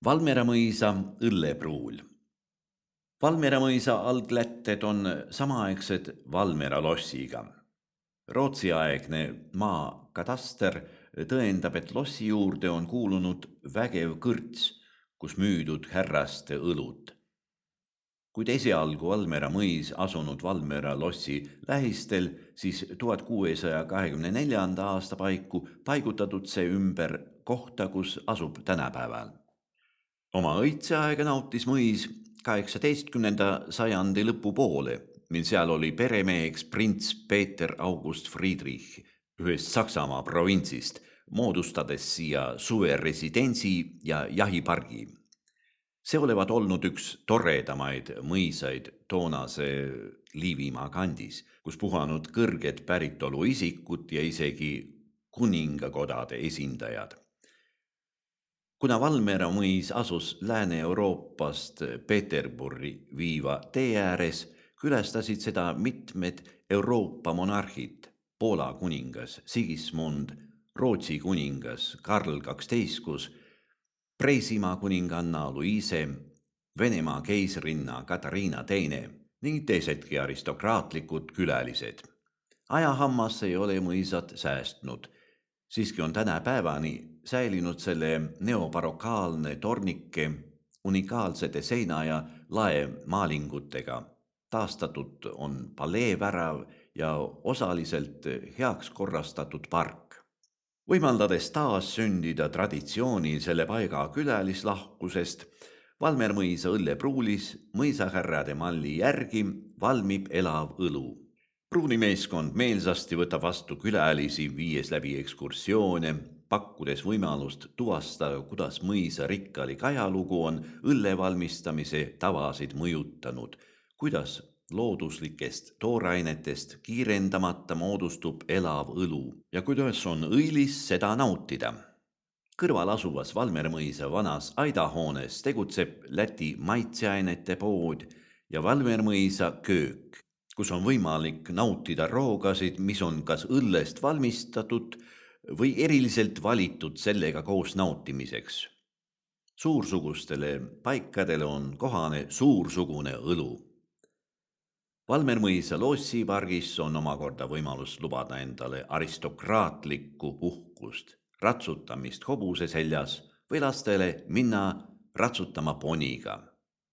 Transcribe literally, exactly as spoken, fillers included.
Valmiera mõisa õllepruul. Valmiera mõisa alglätted on samaaegsed Valmiera lossiga. Rootsiaegne maa kataster tõendab, et lossi juurde on kuulunud vägev kõrts, kus müüdud härraste õlut. Kuid esialgu Valmiera mõis asunud Valmiera lossi lähistel, siis tuhat kuuesaja kahekümne neljanda aasta paiku paigutatud see ümber kohta, kus asub tänapäeval. Oma õitseaega nautis mõis kaheksateistkümnenda sajandi lõpupoole, mil seal oli peremeheks prints Peeter August Friedrich ühest Saksamaa provintsist, moodustades siia suveresidentsi ja jahipargi. See olevat olnud üks toredamaid mõisaid toonase Liivimaa kandis, kus puhanud kõrged päritolu isikud ja isegi kuningakodade esindajad. Kuna Valmiera mõis asus Lääne-Euroopast Peterburi viiva tee ääres, külastasid seda mitmed Euroopa monarhid, Poola kuningas Sigismund, Rootsi kuningas Karl kaksteistkümnes, Preisimaa kuninganna Luise, Venemaa keisrinna Katariina teine ning teisedki aristokraatlikud külalised. Ajahammas ei ole mõisad säästnud. Siiski on tänapäevani säilinud selle neobarokaalne tornike unikaalsete seina- ja laemaalingutega. Taastatud on paleevärav ja osaliselt heaks korrastatud park. Võimaldades taas sündida traditsiooni selle paiga külalislahkusest, Valmiera mõisa õllepruulis mõisahärrade malli järgi valmib elav õlu. Pruunimeeskond meelsasti võtab vastu külalisi, viies läbi ekskursioone, pakkudes võimalust tuvastada, kuidas mõisa rikkalik ajalugu on õlle valmistamise tavasid mõjutanud, kuidas looduslikest toorainetest kiirendamata moodustub elav õlu ja kuidas on õilis seda nautida. Kõrval asuvas Valmiera mõisa vanas aidahoones tegutseb Läti maitseainete pood ja Valmiera mõisa köök, kus on võimalik nautida roogasid, mis on kas õllest valmistatud või eriliselt valitud sellega koos nautimiseks. Suursugustele paikadele on kohane suursugune õlu. Valmiera mõisa lossipargis on omakorda võimalus lubada endale aristokraatlikku puhkust, ratsutamist hobuse seljas või lastele minna ratsutama poniga.